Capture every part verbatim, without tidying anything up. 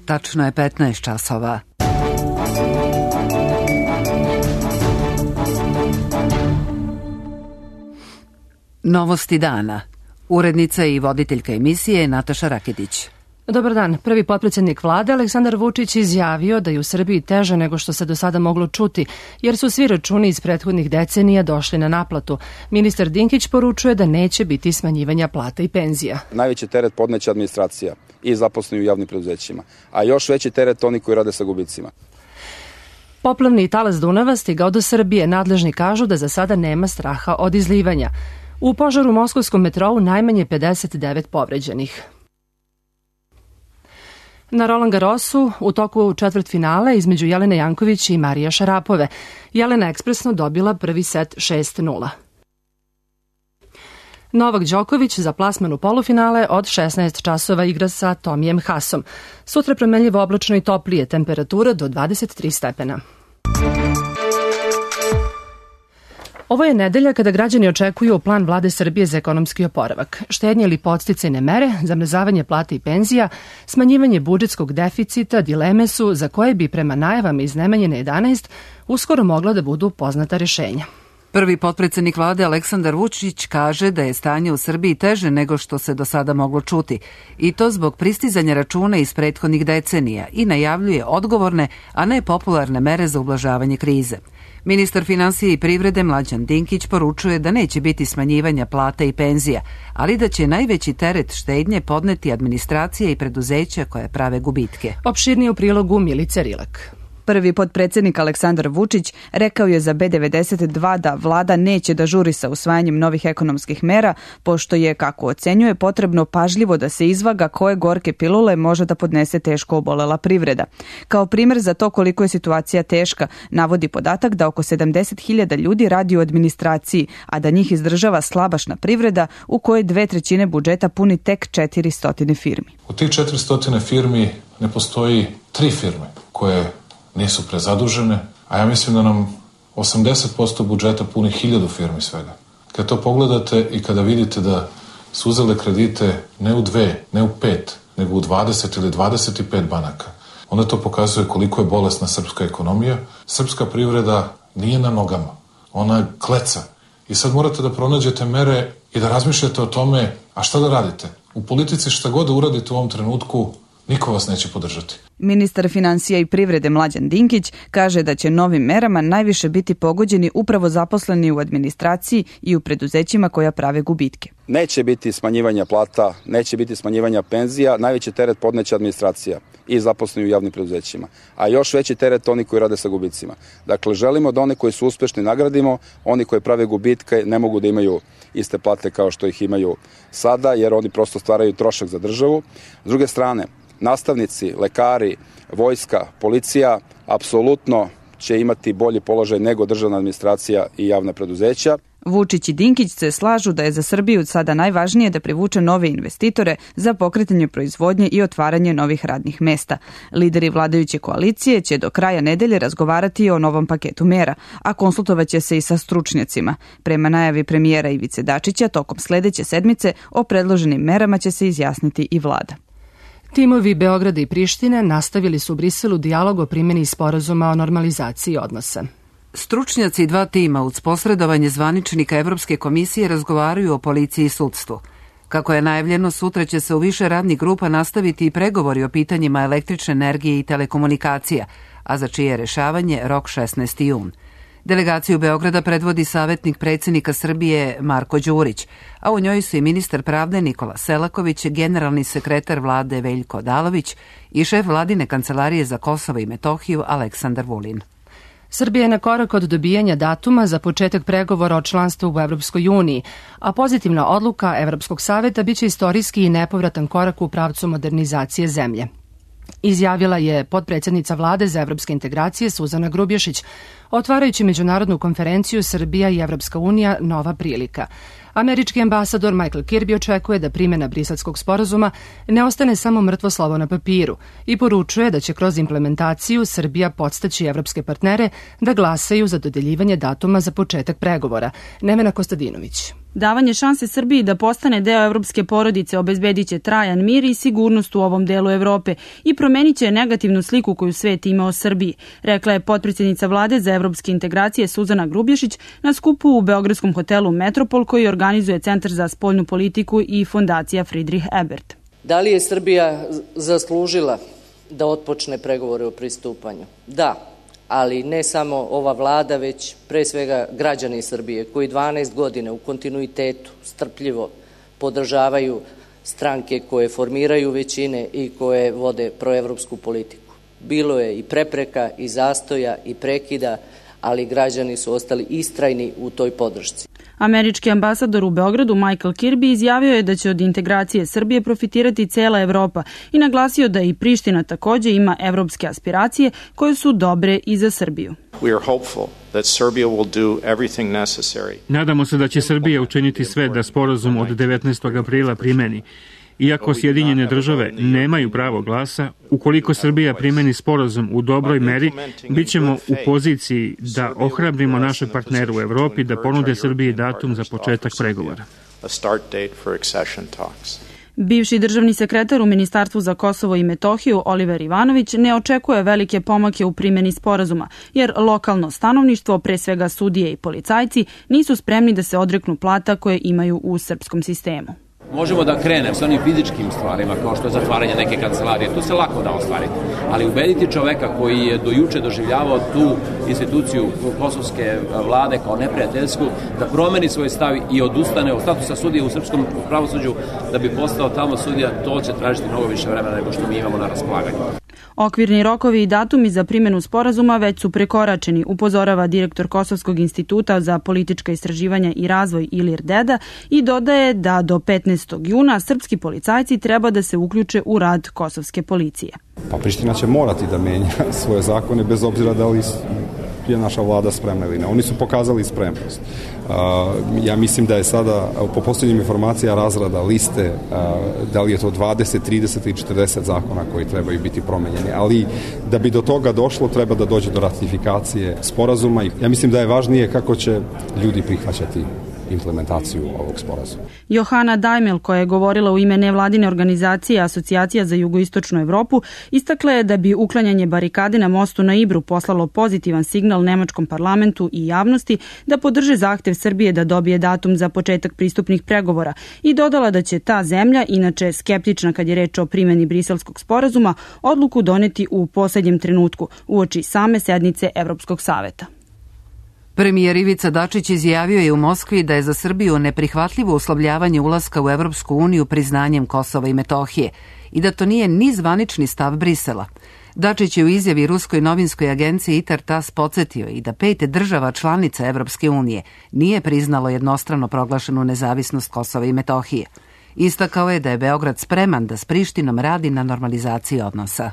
Tačno je petnaest časova. Novosti dana. Urednica i voditeljka emisije Nataša Raketić. Dobar dan. Prvi potpredsjednik vlade Aleksandar Vučić izjavio da je u Srbiji teže nego što se do sada moglo čuti, jer su svi računi iz prethodnih decenija došli na naplatu. Ministar Dinkić poručuje da neće biti smanjivanja plata i penzija. Najveći teret podneće administracija i zaposleni u javnim preduzećima, a još veći teret oni koji rade sa gubicima. Poplavni talas Dunava stigao do Srbije. Nadležni kažu da za sada nema straha od izlivanja. U požaru u moskovskom metrou najmanje pedeset devet povređenih. Na Roland Garrosu u toku četvrtfinale između Jelene Janković i Marije Šarapove. Jelena ekspresno dobila prvi set šest nula. Novak Đoković za plasman u polufinale od šesnaest časova igra sa Tomijem Hasom. Sutra promenljivo oblačno i toplije, temperatura do dvadeset tri stepena. Ovo je nedelja kada građani očekuju plan vlade Srbije za ekonomski oporavak. Štednje ili podsticajne mere, zamrzavanje plata i penzija, smanjivanje budžetskog deficita, dileme su za koje bi prema najavama iz Nemanjine jedanaest uskoro mogla da budu poznata rešenja. Prvi potpredsjednik vlade Aleksandar Vučić kaže da je stanje u Srbiji teže nego što se do sada moglo čuti, i to zbog pristizanja računa iz prethodnih decenija, i najavljuje odgovorne, a ne popularne mere za ublažavanje krize. Ministar finansija i privrede Mlađan Dinkić poručuje da neće biti smanjivanja plata i penzija, ali da će najveći teret štednje podneti administracija i preduzeća koje prave gubitke. Opširnije u prilogu Milice Rilak. Prvi potpredsjednik Aleksandar Vučić rekao je za B devedeset dva da vlada neće da žuri sa usvajanjem novih ekonomskih mera, pošto je, kako ocenjuje, potrebno pažljivo da se izvaga koje gorke pilule može da podnese teško obolela privreda. Kao primer za to koliko je situacija teška, navodi podatak da oko sedamdeset hiljada ljudi radi u administraciji, a da njih izdržava slabašna privreda u kojoj dve trećine budžeta puni tek četiristo firmi. U tih četiristo firmi ne postoji tri firme koje nisu prezadužene, a ja mislim da nam osamdeset posto budžeta puni hiljadu firmi svega. Kad to pogledate i kada vidite da su uzele kredite ne u dve, ne u pet, nego u dvadeset ili dvadeset pet banaka, onda to pokazuje koliko je bolesna srpska ekonomija. Srpska privreda nije na nogama, ona kleca. I sad morate da pronađete mere i da razmišljate o tome, a šta da radite? U politici šta god da uradite u ovom trenutku, niko vas neće podržati. Ministar finansija i privrede Mlađan Dinkić kaže da će novim merama najviše biti pogođeni upravo zaposleni u administraciji i u preduzećima koja prave gubitke. Neće biti smanjivanja plata, neće biti smanjivanja penzija, najveći teret podneće administracija i zaposleni u javnim preduzećima, a još veći teret oni koji rade sa gubicima. Dakle, želimo da one koji su uspešni nagradimo, oni koji prave gubitke ne mogu da imaju iste plate kao što ih imaju sada, jer oni prosto stvaraju trošak za državu. S druge strane, nastavnici, lekari, vojska, policija apsolutno će imati bolji položaj nego državna administracija i javna preduzeća. Vučić i Dinkić se slažu da je za Srbiju sada najvažnije da privuče nove investitore za pokretanje proizvodnje i otvaranje novih radnih mesta. Lideri vladajuće koalicije će do kraja nedelje razgovarati o novom paketu mera, a konsultovaće se i sa stručnjacima. Prema najavi premijera Ivice Dačića, tokom sledeće sedmice o predloženim merama će se izjasniti i vlada. Timovi Beograda i Prištine nastavili su u Briselu dijalog o primjeni sporazuma o normalizaciji odnosa. Stručnjaci dva tima uz posredovanje zvaničnika Evropske komisije razgovaraju o policiji i sudstvu. Kako je najavljeno, sutra će se u više radnih grupa nastaviti i pregovori o pitanjima električne energije i telekomunikacija, a za čije rešavanje rok šesnaesti jun. Delegaciju Beograda predvodi savjetnik predsjednika Srbije Marko Đurić, a u njoj su i ministar pravde Nikola Selaković, generalni sekretar vlade Veljko Odalović i šef vladine kancelarije za Kosovo i Metohiju Aleksandar Vulin. Srbija je na korak od dobijanja datuma za početak pregovora o članstvu u Evropskoj uniji, a pozitivna odluka Evropskog saveta biće istorijski i nepovratan korak u pravcu modernizacije zemlje. Izjavila je potpredsjednica vlade za evropske integracije Suzana Grubješić, otvarajući međunarodnu konferenciju Srbija i Evropska unija nova prilika. Američki ambasador Michael Kirby očekuje da primjena Briselskog sporazuma ne ostane samo mrtvo slovo na papiru i poručuje da će kroz implementaciju Srbija podstaći evropske partnere da glasaju za dodeljivanje datuma za početak pregovora. Nevena Kostadinović. Davanje šanse Srbiji da postane deo evropske porodice obezbedit će trajan mir i sigurnost u ovom delu Evrope i promenit će negativnu sliku koju svet ima o Srbiji, rekla je potpredsjednica vlade za evropske integracije Suzana Grubješić na skupu u beogradskom hotelu Metropol koji organizuje Centar za spoljnu politiku i fondacija Friedrich Ebert. Da li je Srbija zaslužila da otpočne pregovore o pristupanju? Da. Ali ne samo ova vlada, već pre svega građani Srbije koji dvanaest godina u kontinuitetu strpljivo podržavaju stranke koje formiraju većine i koje vode proevropsku politiku. Bilo je i prepreka, i zastoja, i prekida, ali građani su ostali istrajni u toj podršci. Američki ambasador u Beogradu Michael Kirby izjavio je da će od integracije Srbije profitirati cela Evropa i naglasio da i Priština takođe ima evropske aspiracije koje su dobre i za Srbiju. Nadamo se da će Srbija učiniti sve da sporazum od devetnaestog aprila primeni. Iako Sjedinjene države nemaju pravo glasa, ukoliko Srbija primeni sporazum u dobroj meri, bit ćemo u poziciji da ohrabrimo našeg partnera u Evropi da ponude Srbiji datum za početak pregovora. Bivši državni sekretar u Ministarstvu za Kosovo i Metohiju Oliver Ivanović ne očekuje velike pomake u primjeni sporazuma, jer lokalno stanovništvo, pre svega sudije i policajci, nisu spremni da se odreknu plata koje imaju u srpskom sistemu. Možemo da krenem sa onim fizičkim stvarima, kao što je zatvaranje neke kancelarije, to se lako da ostvariti. Ali ubediti čoveka koji je do juče doživljavao tu instituciju kosovske vlade kao neprijateljsku, da promeni svoj stav i odustane od statusa sudije u srpskom pravosuđu, da bi postao tamo sudija, to će tražiti mnogo više vremena nego što mi imamo na raspolaganju. Okvirni rokovi i datumi za primjenu sporazuma već su prekoračeni, upozorava direktor Kosovskog instituta za politička istraživanja i razvoj Ilir Deda i dodaje da do petnaestog juna srpski policajci treba da se uključe u rad kosovske policije. Pa Priština će morati da menja svoje zakone bez obzira da li je naša vlada spremna ili ne. Oni su pokazali spremnost. Ja mislim da je sada po posljednjim informacija razrada liste da li je to dvadeset, trideset ili četrdeset zakona koji trebaju biti promenjeni, ali da bi do toga došlo treba da dođe do ratifikacije sporazuma i ja mislim da je važnije kako će ljudi prihvaćati implementaciju ovog sporazuma. Johana Dajmel, koja je govorila u ime nevladine organizacije Asocijacija za jugoistočnu Evropu, istakla je da bi uklanjanje barikade na mostu na Ibru poslalo pozitivan signal nemačkom parlamentu i javnosti da podrže zahtev Srbije da dobije datum za početak pristupnih pregovora i dodala da će ta zemlja, inače skeptična kad je reč o primjeni Briselskog sporazuma, odluku doneti u poslednjem trenutku, uoči same sednice Evropskog saveta. Premijer Ivica Dačić izjavio je u Moskvi da je za Srbiju neprihvatljivo uslovljavanje ulaska u Evropsku uniju priznanjem Kosova i Metohije i da to nije ni zvanični stav Brisela. Dačić je u izjavi ruskoj novinskoj agenciji Intertas podsjetio i da pet država članica Evropske unije nije priznalo jednostrano proglašenu nezavisnost Kosova i Metohije. Istakao je da je Beograd spreman da s Prištinom radi na normalizaciji odnosa.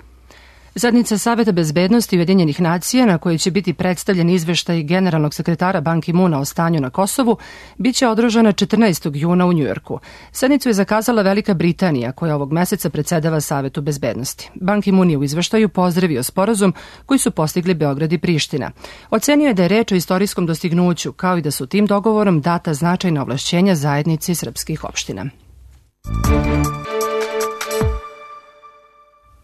Sednica Saveta bezbednosti Ujedinjenih nacija, na kojoj će biti predstavljen izveštaj generalnog sekretara Ban Ki-muna o stanju na Kosovu, biće održana četrnaestog juna u Njujorku. Sednicu je zakazala Velika Britanija, koja ovog meseca predsedava Savetu bezbednosti. Ban Ki-mun je u izveštaju pozdravio sporazum koji su postigli Beograd i Priština. Ocenio je da je reč o istorijskom dostignuću, kao i da su tim dogovorom data značajna ovlašćenja zajednici srpskih opština.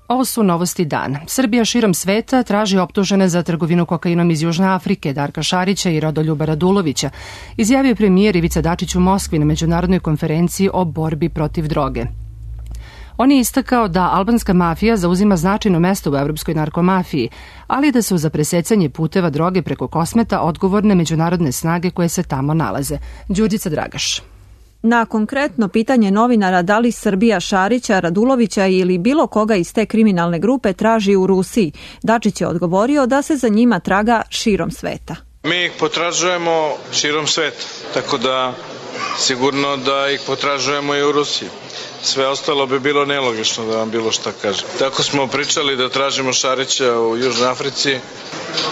Ovo su novosti dana. Srbija širom sveta traži optužene za trgovinu kokainom iz Južne Afrike Darka Šarića i Rodoljuba Radulovića, izjavio premijer Ivica Dačić u Moskvi na međunarodnoj konferenciji o borbi protiv droge. On je istakao da albanska mafija zauzima značajno mesto u evropskoj narkomafiji, ali da su za presecanje puteva droge preko Kosmeta odgovorne međunarodne snage koje se tamo nalaze. Đurđica Dragaš. Na konkretno pitanje novinara da li Srbija Šarića, Radulovića ili bilo koga iz te kriminalne grupe traži u Rusiji, Dačić je odgovorio da se za njima traga širom sveta. Mi ih potražujemo širom sveta, tako da sigurno da ih potražujemo i u Rusiji. Sve ostalo bi bilo nelogično da vam bilo šta kažem. Tako smo pričali da tražimo Šarića u Južnoj Africi,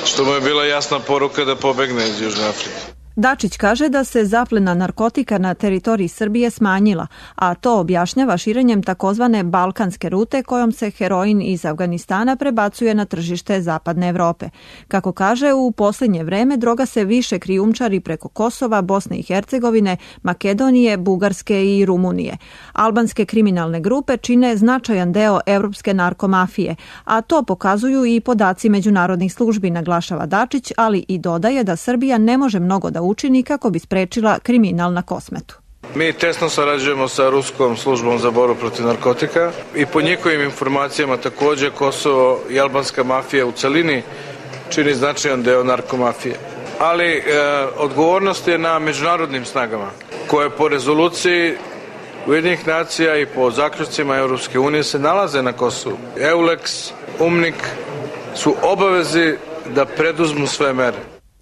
što mu je bila jasna poruka da pobegne iz Južne Afrike. Dačić kaže da se zaplena narkotika na teritoriji Srbije smanjila, a to objašnjava širenjem takozvane balkanske rute kojom se heroin iz Afganistana prebacuje na tržište zapadne Evrope. Kako kaže, u posljednje vreme droga se više krijumčari preko Kosova, Bosne i Hercegovine, Makedonije, Bugarske i Rumunije. Albanske kriminalne grupe čine značajan deo evropske narkomafije, a to pokazuju i podaci međunarodnih službi, naglašava Dačić, ali i dodaje da Srbija ne može mnogo da učini kako bi sprečila kriminal na Kosmetu. Mi tesno sarađujemo sa Ruskom službom za borbu protiv narkotika i po njihovim informacijama takođe Kosovo i albanska mafija u celini čini značajan deo narkomafije. Ali e, odgovornost je na međunarodnim snagama koje po rezoluciji Ujedinjenih nacija i po zaključcima Europske unije se nalaze na Kosovu. EULEX, UMNIK su obavezi da preduzmu sve mere.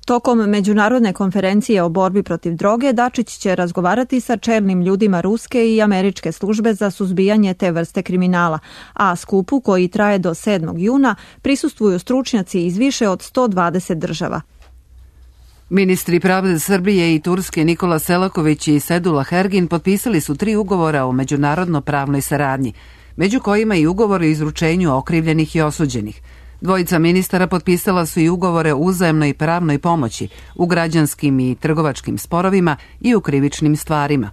Tokom međunarodne konferencije o borbi protiv droge, Dačić će razgovarati sa čelnim ljudima ruske i američke službe za suzbijanje te vrste kriminala, a skupu koji traje do sedmog juna prisustvuju stručnjaci iz više od sto dvadeset država. Ministri pravde Srbije i Turske Nikola Selaković i Sedullah Ergin potpisali su tri ugovora o međunarodno pravnoj saradnji, među kojima i ugovor o izručenju okrivljenih i osuđenih. Dvojica ministara potpisala su i ugovore o uzajamnoj pravnoj pomoći u građanskim i trgovačkim sporovima i u krivičnim stvarima.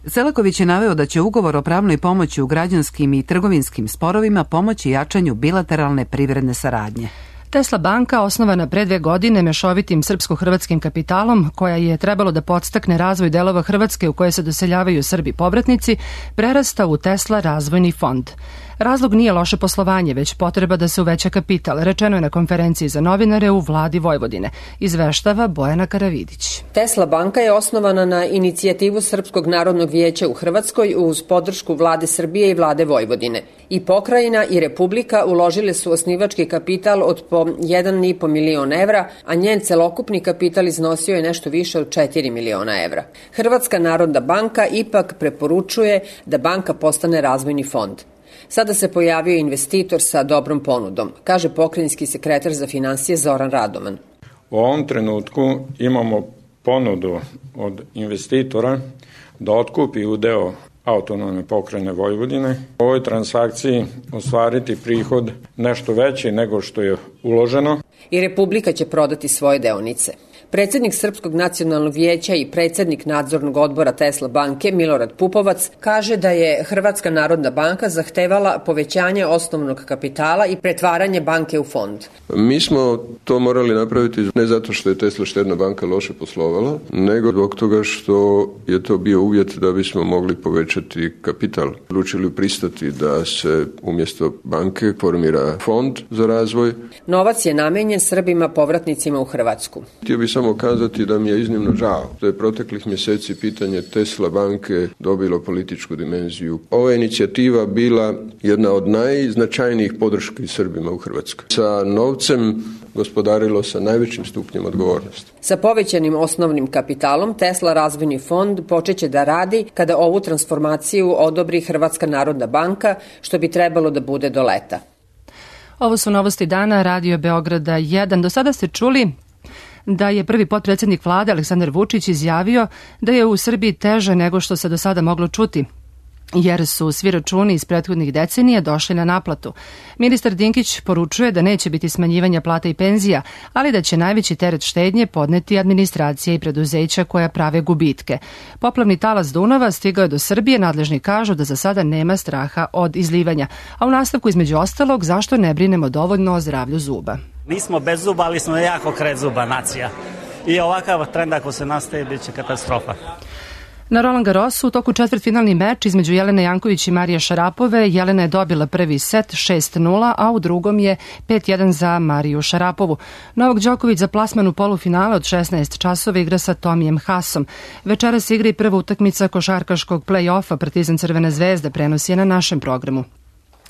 Selaković je naveo da će ugovor o pravnoj pomoći u građanskim i trgovinskim sporovima pomoći jačanju bilateralne privredne saradnje. Tesla banka, osnovana pre dve godine mešovitim srpsko-hrvatskim kapitalom, koja je trebalo da podstakne razvoj delova Hrvatske u koje se doseljavaju Srbi povratnici, prerasta u Tesla razvojni fond. Razlog nije loše poslovanje, već potreba da se uveća kapital, rečeno je na konferenciji za novinare u vladi Vojvodine, izveštava Bojana Karavidić. Tesla banka je osnovana na inicijativu Srpskog narodnog vijeća u Hrvatskoj uz podršku vlade Srbije i vlade Vojvodine. I pokrajina i Republika uložile su osnivački kapital od po jedan i po milion evra, a njen celokupni kapital iznosio je nešto više od četiri miliona evra. Hrvatska narodna banka ipak preporučuje da banka postane razvojni fond. Sada se pojavio investitor sa dobrom ponudom, kaže pokrajinski sekretar za finansije Zoran Radoman. U ovom trenutku imamo ponudu od investitora da otkupi udeo autonomne pokrajine Vojvodine. U ovoj transakciji ostvariti prihod nešto veći nego što je uloženo. I Republika će prodati svoje deonice. Predsednik Srpskog nacionalnog vijeća i predsednik nadzornog odbora Tesla banke Milorad Pupovac kaže da je Hrvatska narodna banka zahtevala povećanje osnovnog kapitala i pretvaranje banke u fond. Mi smo to morali napraviti ne zato što je Tesla štedna banka loše poslovala, nego zbog toga što je to bio uvjet da bismo mogli povećati kapital. Odlučili pristati da se umjesto banke formira fond za razvoj. Novac je namenjen Srbima povratnicima u Hrvatsku. Htio bi samo kazati da mi je iznimno žao da je proteklih mjeseci pitanje Tesla banke dobilo političku dimenziju. Ova inicijativa bila jedna od najznačajnijih podrški Srbima u Hrvatskoj. Sa novcem gospodarilo sa najvećim stupnjem odgovornosti. Sa povećanim osnovnim kapitalom Tesla razvojni fond počeće da radi kada ovu transformaciju odobri Hrvatska narodna banka, što bi trebalo da bude do leta. Ovo su novosti dana Radio Beograda jedan. Do sada ste čuli da je prvi potpredsjednik vlade Aleksandar Vučić izjavio da je u Srbiji teže nego što se do sada moglo čuti, jer su svi računi iz prethodnih decenija došli na naplatu. Ministar Dinkić poručuje da neće biti smanjivanja plata i penzija, ali da će najveći teret štednje podneti administracija i preduzeća koja prave gubitke. Poplavni talas Dunava stigao je do Srbije, nadležni kažu da za sada nema straha od izlivanja. A u nastavku između ostalog, zašto ne brinemo dovoljno o zdravlju zuba? Nismo bez zuba, ali smo jako kredzuba nacija. I ovakav trend ako se nastavi, bit će katastrofa. Na Roland Garrosu u toku četvrtfinalni meč između Jelene Janković i Marije Šarapove, Jelena je dobila prvi set šest nula, a u drugom je pet jedan za Mariju Šarapovu. Novak Đoković za plasman u polufinale od šesnaest časova igra sa Tomijem Hasom. Večeras igra i prva utakmica košarkaškog play-offa Partizan Crvena zvezda, prenosi je na našem programu.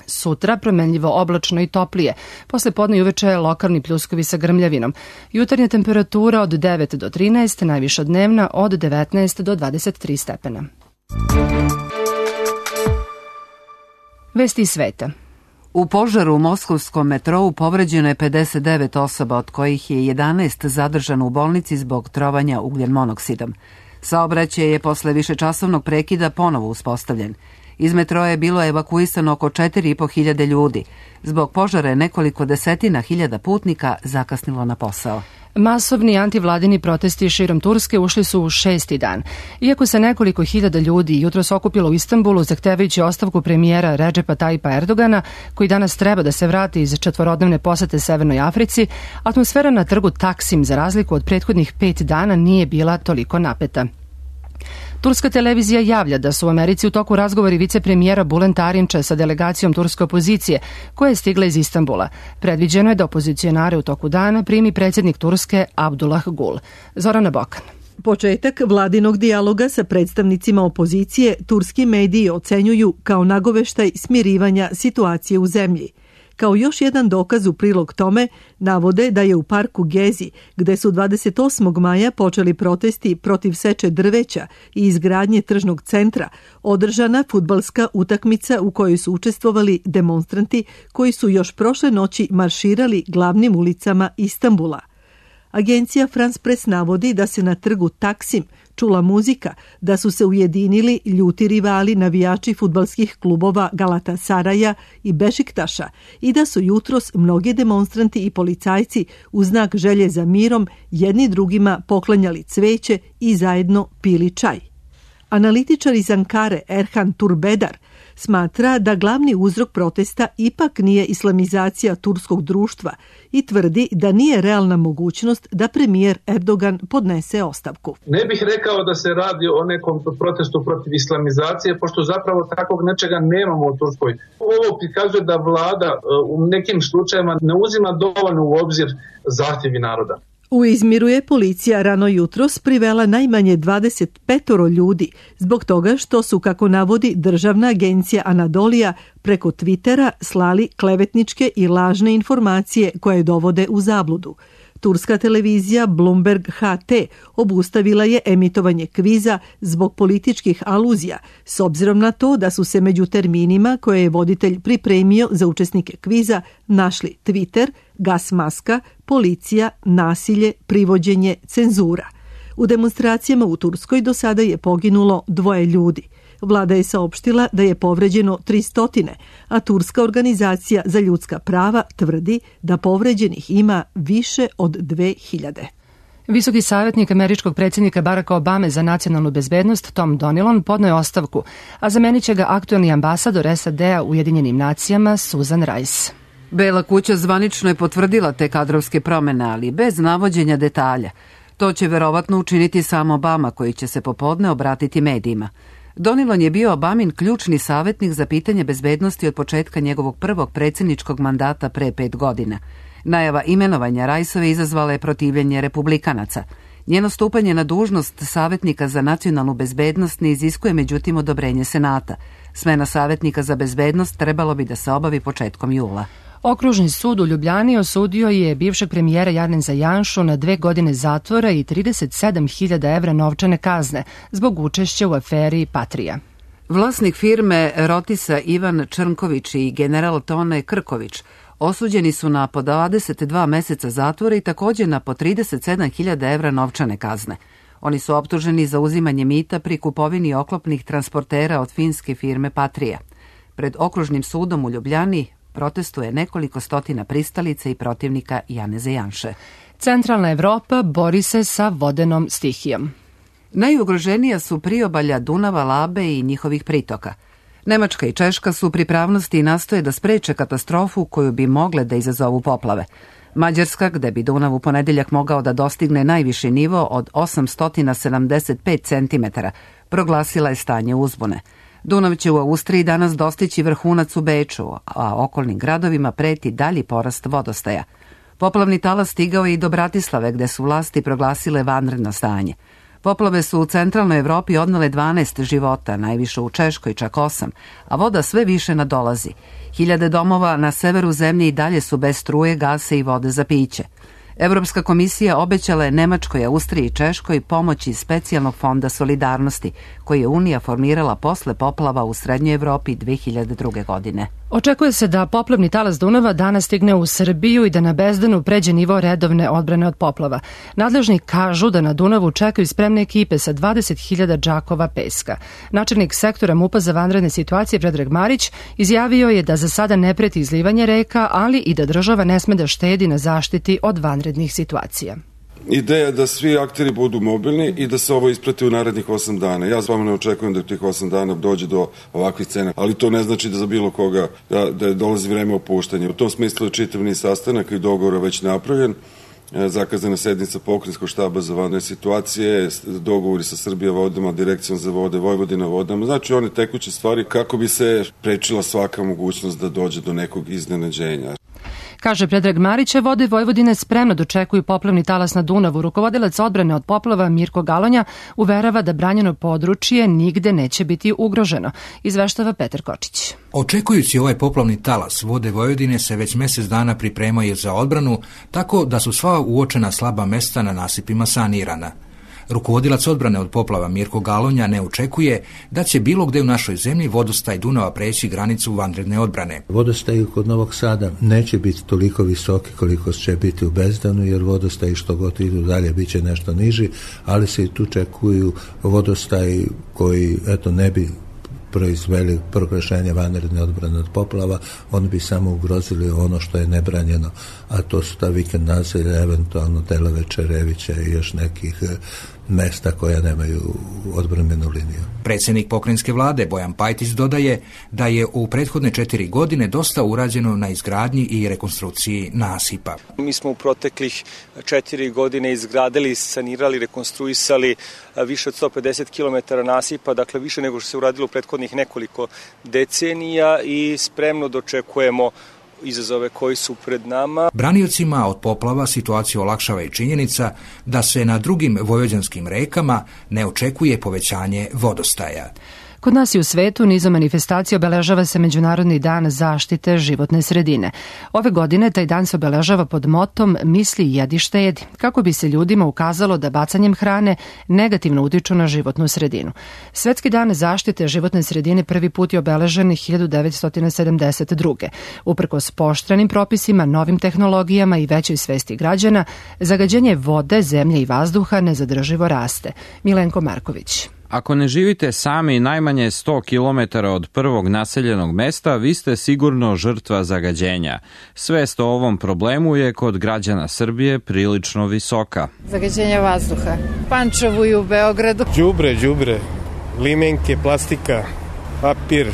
Sutra promenljivo oblačno i toplije. Posle podne i uveče lokalni pljuskovi sa grmljavinom. Jutarnja temperatura od devet do trinaest, najviša dnevna od devetnaest do dvadeset tri stepena. Vesti iz sveta. U požaru u moskovskom metrou povređeno je pedeset devet osoba, od kojih je jedanaest zadržano u bolnici zbog trovanja ugljen monoksidom. Saobraćaj je posle višečasovnog prekida ponovo uspostavljen. Iz metroa je bilo evakuisano oko četiri i po hiljade ljudi. Zbog požara je nekoliko desetina hiljada putnika zakasnilo na posao. Masovni antivladini protesti širom Turske ušli su u šesti dan. Iako se nekoliko hiljada ljudi jutros okupilo u Istanbulu zahtevajući ostavku premijera Redžepa Tajipa Erdogana, koji danas treba da se vrati iz četvorodnevne posete Severnoj Africi, atmosfera na trgu Taksim, za razliku od prethodnih pet dana, nije bila toliko napeta. Turska televizija javlja da su u Americi u toku razgovori vicepremijera Bülent Arınç'a sa delegacijom turske opozicije, koja je stigla iz Istanbula. Predviđeno je da opozicionare u toku dana primi predsjednik Turske Abdullah Gül. Zorana Bokan. Početak vladinog dijaloga sa predstavnicima opozicije turski mediji ocenjuju kao nagoveštaj smirivanja situacije u zemlji. Kao još jedan dokaz u prilog tome, navode da je u parku Gezi, gde su dvadeset osmog maja počeli protesti protiv seče drveća i izgradnje tržnog centra, održana fudbalska utakmica u kojoj su učestvovali demonstranti koji su još prošle noći marširali glavnim ulicama Istanbula. Agencija France Press navodi da se na trgu Taksim čula muzika, da su se ujedinili ljuti rivali navijači fudbalskih klubova Galatasaraja i Bešiktaša i da su jutros mnogi demonstranti i policajci u znak želje za mirom jedni drugima poklanjali cveće i zajedno pili čaj. Analitičar iz Ankare Erhan Turbedar smatra da glavni uzrok protesta ipak nije islamizacija turskog društva i tvrdi da nije realna mogućnost da premijer Erdogan podnese ostavku. Ne bih rekao da se radi o nekom protestu protiv islamizacije, pošto zapravo takvog nečega nemamo u Turskoj. Ovo prikazuje da vlada u nekim slučajevima ne uzima dovoljno u obzir zahtjevi naroda. U Izmiru je policija rano jutros privela najmanje dvadeset pet ljudi zbog toga što su, kako navodi državna agencija Anadolija, preko Twittera slali klevetničke i lažne informacije koje dovode u zabludu. Turska televizija Bloomberg H T obustavila je emitovanje kviza zbog političkih aluzija, s obzirom na to da su se među terminima koje je voditelj pripremio za učesnike kviza našli Twitter, gas maska, policija, nasilje, privođenje, cenzura. U demonstracijama u Turskoj do sada je poginulo dvoje ljudi. Vlada je saopštila da je povređeno tristo, a Turska organizacija za ljudska prava tvrdi da povređenih ima više od dve hiljade. Visoki savjetnik američkog predsjednika Baracka Obame za nacionalnu bezbednost Tom Donilon podneo je ostavku, a zamenit će ga aktuelni ambasador S A D-a u Ujedinjenim nacijama Susan Rice. Bela kuća zvanično je potvrdila te kadrovske promene, ali bez navođenja detalja. To će verovatno učiniti sam Obama, koji će se popodne obratiti medijima. Donilon je bio Obamin ključni savjetnik za pitanje bezbednosti od početka njegovog prvog predsjedničkog mandata pre pet godina. Najava imenovanja Riceove izazvala je protivljenje republikanaca. Njeno stupanje na dužnost savjetnika za nacionalnu bezbednost ne iziskuje međutim odobrenje Senata. Smena savjetnika za bezbednost trebalo bi da se obavi početkom jula. Okružni sud u Ljubljani osudio je bivšeg premijera Janeza Janšu na dve godine zatvora i trideset sedam hiljada evra novčane kazne zbog učešća u aferi Patrija. Vlasnik firme Rotisa Ivan Črnković i general Tone Krković osuđeni su na po dvadeset dva meseca zatvora i također na po trideset sedam hiljada evra novčane kazne. Oni su optuženi za uzimanje mita pri kupovini oklopnih transportera od finske firme Patrija. Pred okružnim sudom u Ljubljani protestuje nekoliko stotina pristalica i protivnika Janeza Janše. Centralna Evropa bori se sa vodenom stihijom. Najugroženija su priobalja Dunava, Labe i njihovih pritoka. Nemačka i Češka su u pripravnosti i nastoje da spreče katastrofu koju bi mogle da izazovu poplave. Mađarska, gde bi Dunav u ponedeljak mogao da dostigne najviši nivo od osamsto sedamdeset pet centimetara, proglasila je stanje uzbune. Dunav će u Austriji danas dostići vrhunac u Beču, a okolnim gradovima preti dalji porast vodostaja. Poplavni talas stigao je i do Bratislave, gde su vlasti proglasile vanredno stanje. Poplave su u centralnoj Evropi odnele dvanaest života, najviše u Češkoj čak osam, a voda sve više nadolazi. Hiljade domova na severu zemlje i dalje su bez struje, gasa i vode za piće. Evropska komisija obećala je Nemačkoj, Austriji i Češkoj pomoć iz specijalnog fonda solidarnosti, koji je Unija formirala posle poplava u Srednjoj Evropi dve hiljade druge. godine. Očekuje se da poplavni talas Dunava danas stigne u Srbiju i da na Bezdanu pređe nivo redovne odbrane od poplava. Nadležni kažu da na Dunavu čekaju spremne ekipe sa dvadeset hiljada džakova peska. Načelnik sektora MUP-a za vanredne situacije Predrag Marić izjavio je da za sada ne preti izlivanje reka, ali i da država ne sme da štedi na zaštiti od vanrednih situacija. Ideja je da svi akteri budu mobilni i da se ovo isprati u narednih osam dana. Ja stvarno ne očekujem da u tih osam dana dođe do ovakvih cena, ali to ne znači da za bilo koga da, da dolazi vreme opuštanja. U tom smislu je čitav niz sastanaka i dogovora već napravljen. Zakazana sednica pokrajinskog štaba za vanredne situacije, dogovori sa Srbija vodama, Direkcijom za vode, Vojvodina vodama, znači one tekuće stvari kako bi se prečila svaka mogućnost da dođe do nekog iznenađenja. Kaže Predrag Marić, vode Vojvodine spremno dočekuju poplavni talas na Dunavu. Rukovodilac odbrane od poplava Mirko Galonja uverava da branjeno područje nigde neće biti ugroženo. Izveštava Petar Kočić. Očekujući ovaj poplavni talas, vode Vojvodine se već mjesec dana pripremaju za odbranu, tako da su sva uočena slaba mesta na nasipima sanirana. Rukovodilac odbrane od poplava Mirko Galonja ne očekuje da će bilo gde u našoj zemlji vodostaj Dunava preći granicu vanredne odbrane. Vodostaj kod Novog Sada neće biti toliko visoki koliko će biti u Bezdanu, jer vodostaj što god idu dalje bit će nešto niži, ali se i tu čekuju vodostaj koji eto ne bi proizveli proglašenje vanredne odbrane od poplava, oni bi samo ugrozili ono što je nebranjeno, a to su ta vikend naselja, eventualno delove Čerevića i još nekih mesta koja nemaju odbrambenu liniju. Predsjednik pokrajinske vlade Bojan Pajtić dodaje da je u prethodne četiri godine dosta urađeno na izgradnji i rekonstrukciji nasipa. Mi smo u proteklih četiri godine izgradili, sanirali, rekonstruisali više od sto pedeset kilometara nasipa, dakle više nego što se uradilo u prethodnih nekoliko decenija i spremno dočekujemo izazove koji su pred nama. Braniocima od poplava situaciju olakšava i činjenica da se na drugim vojvođanskim rekama ne očekuje povećanje vodostaja. Kod nas i u svetu nizom manifestacija obeležava se Međunarodni dan zaštite životne sredine. Ove godine taj dan se obeležava pod motom Misli, jedi, štedi, kako bi se ljudima ukazalo da bacanjem hrane negativno utiču na životnu sredinu. Svetski dan zaštite životne sredine prvi put je obeležen hiljadu devetsto sedamdeset druge. Uprkos pooštrenim propisima, novim tehnologijama i većoj svesti građana, zagađenje vode, zemlje i vazduha nezadrživo raste. Milenko Marković. Ako ne živite sami najmanje sto kilometara od prvog naseljenog mesta, vi ste sigurno žrtva zagađenja. Svest o ovom problemu je kod građana Srbije prilično visoka. Zagađenje vazduha. Pančevu i u Beogradu. Đubre, đubre, limenke, plastika, papir,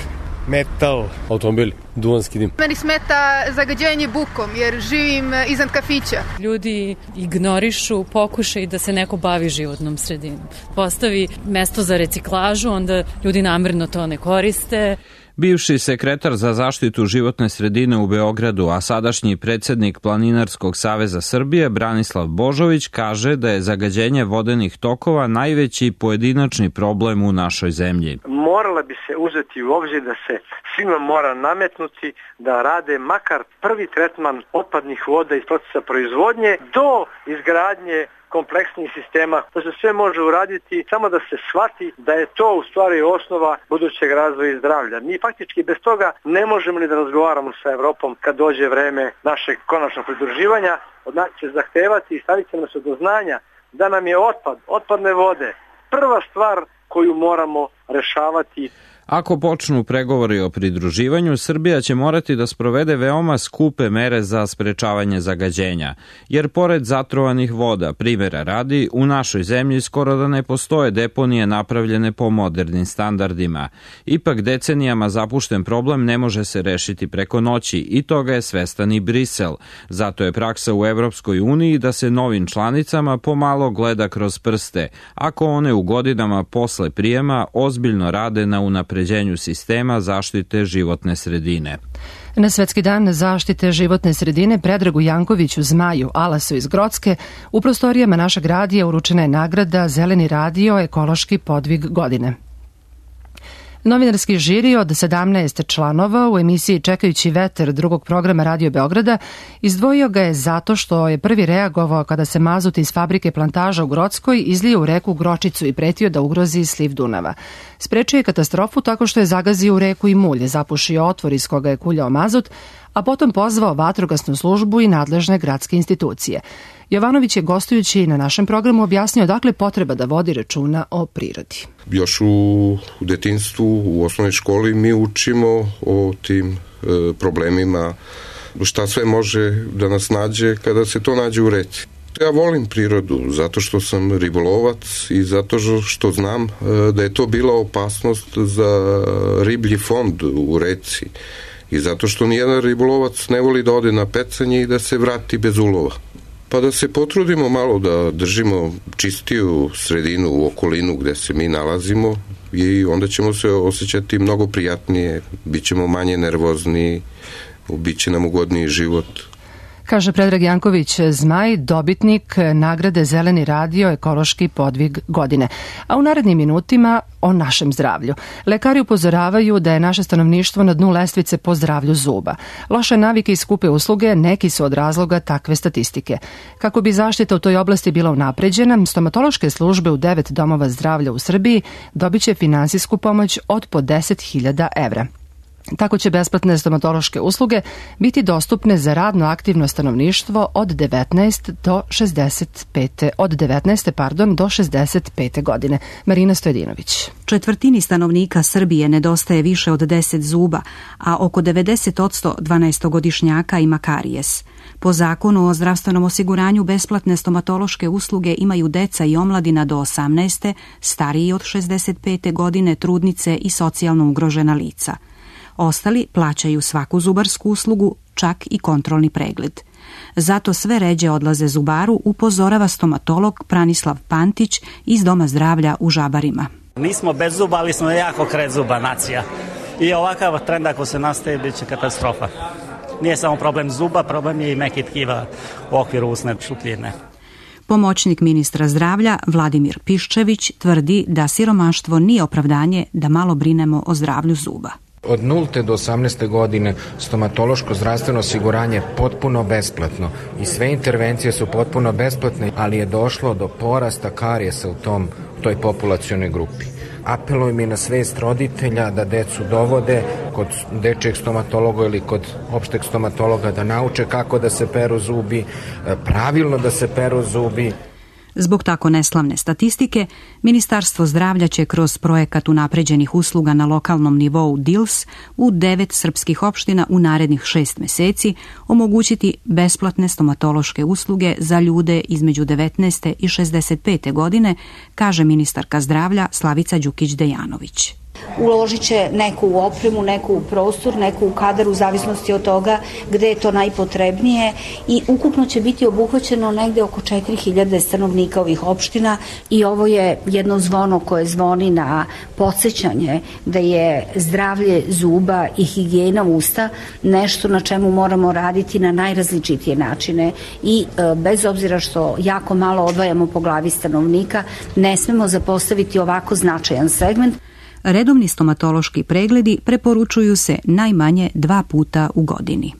metal, automobili, duvanski dim. Meni smeta zagađenje bukom jer živim iznad kafića. Ljudi ignorišu pokušaj da se neko bavi životnom sredinom. Postavi mesto za reciklažu, onda ljudi namerno to ne koriste. Bivši sekretar za zaštitu životne sredine u Beogradu, a sadašnji predsjednik Planinarskog saveza Srbije, Branislav Božović, kaže da je zagađenje vodenih tokova najveći pojedinačni problem u našoj zemlji. Morala bi se uzeti u obzir da se svima mora nametnuti da rade makar prvi tretman otpadnih voda iz procesa proizvodnje do izgradnje kompleksnih sistema. To se sve može uraditi samo da se shvati da je to u stvari osnova budućeg razvoja i zdravlja. Mi faktički bez toga ne možemo ni da razgovaramo sa Evropom kad dođe vreme našeg konačnog pridruživanja. Od nas će zahtevati i staviti nas do znanja da nam je otpad, otpadne vode prva stvar koju moramo rešavati. Ako počnu pregovori o pridruživanju, Srbija će morati da sprovede veoma skupe mere za sprečavanje zagađenja, jer pored zatrovanih voda, primjera radi, u našoj zemlji skoro da ne postoje deponije napravljene po modernim standardima. Ipak decenijama zapušten problem ne može se rešiti preko noći i toga je svestan i Brisel. Zato je praksa u Evropskoj uniji da se novim članicama pomalo gleda kroz prste, ako one u godinama posle prijema ozbiljno rade na unapređenju sistema zaštite životne sredine. Na Svetski dan zaštite životne sredine Predragu Jankoviću Zmaju Alasu iz Grocke u prostorijama našeg radija uručena je nagrada Zeleni radio ekološki podvig godine. Novinarski žiri od sedamnaest članova u emisiji Čekajući veter drugog programa Radio Beograda izdvojio ga je zato što je prvi reagovao kada se mazut iz fabrike Plantaža u Grockoj izlio u reku Gročicu i pretio da ugrozi sliv Dunava. Sprečio je katastrofu tako što je zagazio u reku i mulje, zapušio otvor iz koga je kuljao mazut, a potom pozvao vatrogasnu službu i nadležne gradske institucije. Jovanović je gostujući na našem programu objasnio odakle potreba da vodi računa o prirodi. Još u detinjstvu, u osnovnoj školi mi učimo o tim e, problemima, šta sve može da nas nađe kada se to nađe u reci. Ja volim prirodu zato što sam ribolovac i zato što znam e, da je to bila opasnost za riblji fond u reci i zato što nijedan ribolovac ne voli da ode na pecanje i da se vrati bez ulova. Pa da se potrudimo malo da držimo čistiju sredinu u okolinu gde se mi nalazimo i onda ćemo se osjećati mnogo prijatnije, bit ćemo manje nervozni, bit će nam ugodniji život. Kaže Predrag Janković Zmaj, dobitnik nagrade Zeleni radio ekološki podvig godine. A u narednim minutima o našem zdravlju. Lekari upozoravaju da je naše stanovništvo na dnu lestvice po zdravlju zuba. Loše navike i skupe usluge neki su od razloga takve statistike. Kako bi zaštita u toj oblasti bila unapređena, stomatološke službe u devet domova zdravlja u Srbiji dobit će finansijsku pomoć od po deset hiljada evra. Tako će besplatne stomatološke usluge biti dostupne za radno aktivno stanovništvo od devetnaeste do šezdeset pete od devetnaeste pardon do šezdeset pete godine. Marina Stojedinović. Četvrtini stanovnika Srbije nedostaje više od deset zuba, a oko devedeset posto dvanaestogodišnjaka ima karijes. Po zakonu o zdravstvenom osiguranju besplatne stomatološke usluge imaju deca i omladina do osamnaeste, stariji od šezdeset pete godine, trudnice i socijalno ugrožena lica. Ostali plaćaju svaku zubarsku uslugu, čak i kontrolni pregled. Zato sve ređe odlaze zubaru, upozorava stomatolog Pranislav Pantić iz Doma zdravlja u Žabarima. Nismo bez zuba, ali smo jako krezuba nacija. I ovakav trend ako se nastaje, bit će katastrofa. Nije samo problem zuba, problem je i mekih tkiva u okviru usne šupljine. Pomoćnik ministra zdravlja Vladimir Piščević tvrdi da siromaštvo nije opravdanje da malo brinemo o zdravlju zuba. Od nulte do osamnaeste godine stomatološko zdravstveno osiguranje je potpuno besplatno i sve intervencije su potpuno besplatne, ali je došlo do porasta karijesa u tom, toj populacionoj grupi. Apelujem i na svest roditelja da decu dovode kod dečjeg stomatologa ili kod opšteg stomatologa da nauče kako da se peru zubi, pravilno da se peru zubi. Zbog tako neslavne statistike, Ministarstvo zdravlja će kroz projekat unapređenih usluga na lokalnom nivou D I L S u devet srpskih opština u narednih šest meseci omogućiti besplatne stomatološke usluge za ljude između devetnaeste i šezdeset pete godine, kaže ministarka zdravlja Slavica Đukić-Dejanović. Uložit će neku u opremu, neku u prostor, neku u kadar u zavisnosti od toga gde je to najpotrebnije i ukupno će biti obuhvaćeno negde oko četiri hiljade stanovnika ovih opština i ovo je jedno zvono koje zvoni na podsjećanje da je zdravlje zuba i higijena usta nešto na čemu moramo raditi na najrazličitije načine i e, bez obzira što jako malo odvajamo po glavi stanovnika, ne smemo zapostaviti ovako značajan segment. Redovni stomatološki pregledi preporučuju se najmanje dva puta u godini.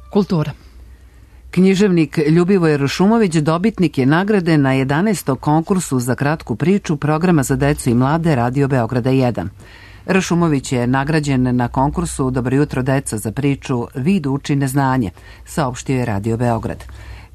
Kultura. Književnik Ljubivoj Rušumović dobitnik je nagrade na jedanaestom konkursu za kratku priču programa za decu i mlade Radio Beograda jedan. Rušumović je nagrađen na konkursu Dobro jutro deca za priču Vid uči neznanje, saopštio je Radio Beograd.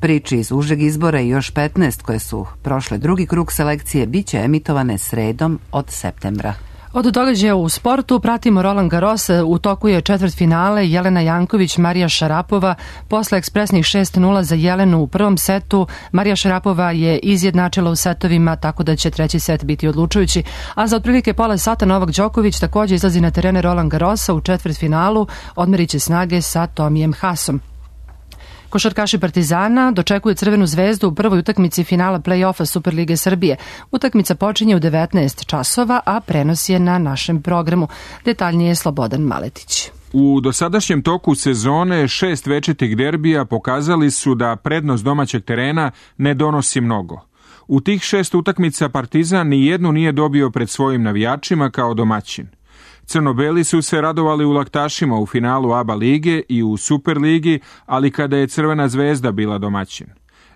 Priče iz užeg izbora i još petnaest koje su prošle drugi krug selekcije bit će emitovane sredom od septembra. Od događaja u sportu pratimo Roland Garros, u toku je četvrtfinale Jelena Janković, Marija Šarapova, posle ekspresnih šest nula za Jelenu u prvom setu. Marija Šarapova je izjednačila u setovima, tako da će treći set biti odlučujući, a za otprilike pola sata Novak Đoković također izlazi na terene Roland Garrosa u četvrtfinalu, odmerit će snage sa Tomijem Hasom. Košarkaši Partizana dočekuju Crvenu zvezdu u prvoj utakmici finala play-offa Superlige Srbije. Utakmica počinje u devetnaest časova, a prenos je na našem programu. Detaljnije je Slobodan Maletić. U dosadašnjem toku sezone šest večitih derbija pokazali su da prednost domaćeg terena ne donosi mnogo. U tih šest utakmica Partizan ni jednu nije dobio pred svojim navijačima kao domaćin. Crno-beli su se radovali u laktašima u finalu A B A lige i u Superligi, ali kada je Crvena zvezda bila domaćin.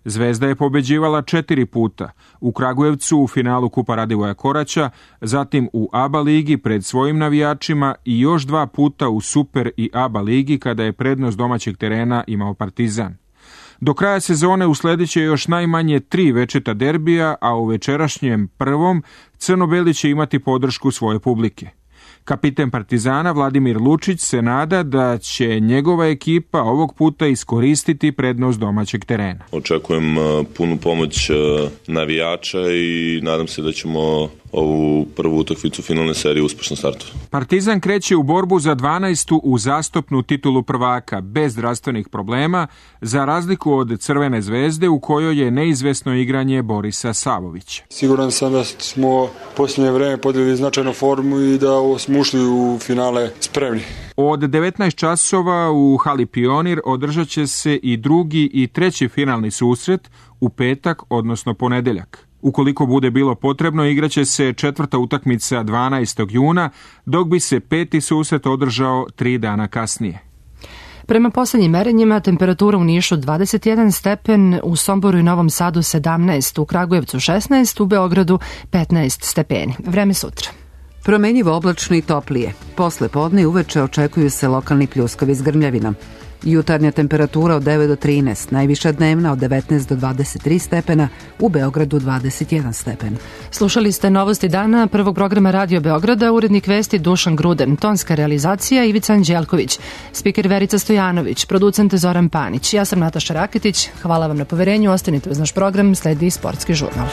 Zvezda je pobeđivala četiri puta, u Kragujevcu u finalu Kupa Radivoja Koraća, zatim u A B A ligi pred svojim navijačima i još dva puta u Super i A B A ligi kada je prednost domaćeg terena imao Partizan. Do kraja sezone usledit još najmanje tri večeta derbija, a u večerašnjem prvom crno-beli će imati podršku svoje publike. Kapiten Partizana Vladimir Lučić se nada da će njegova ekipa ovog puta iskoristiti prednost domaćeg terena. Očekujem punu pomoć navijača i nadam se da ćemo ovu prvu utakmicu finalne serije uspešno startovati. Partizan kreće u borbu za dvanaestu uzastopnu titulu prvaka bez zdravstvenih problema, za razliku od Crvene zvezde u kojoj je neizvesno igranje Borisa Savovića. Siguran sam da smo posljednje vreme podigli značajnu formu i da smo ušli u finale spremni. Od devetnaest časova u hali Pionir održat će se i drugi i treći finalni susret u petak, odnosno ponedeljak. Ukoliko bude bilo potrebno, igraće se četvrta utakmica dvanaestog juna, dok bi se peti susret održao tri dana kasnije. Prema poslednjim merenjima, temperatura u Nišu dvadeset jedan stepen, u Somboru i Novom Sadu sedamnaest, u Kragujevcu šesnaest, u Beogradu petnaest stepeni. Vreme sutra. Promenjivo oblačno i toplije. Posle podne i uveče očekuju se lokalni pljuskovi s grmljavinom. Jutarnja temperatura od devet do trinaest, najviša dnevna od devetnaest do dvadeset tri stepena, u Beogradu dvadeset jedan stepen. Slušali ste novosti dana prvog programa Radio Beograda, urednik vesti Dušan Gruden, tonska realizacija Ivica Anđelković, spiker Verica Stojanović, producent Zoran Panić. Ja sam Nataša Raketić, hvala vam na poverenju, ostanite uz naš program, sledi Sportski žurnal.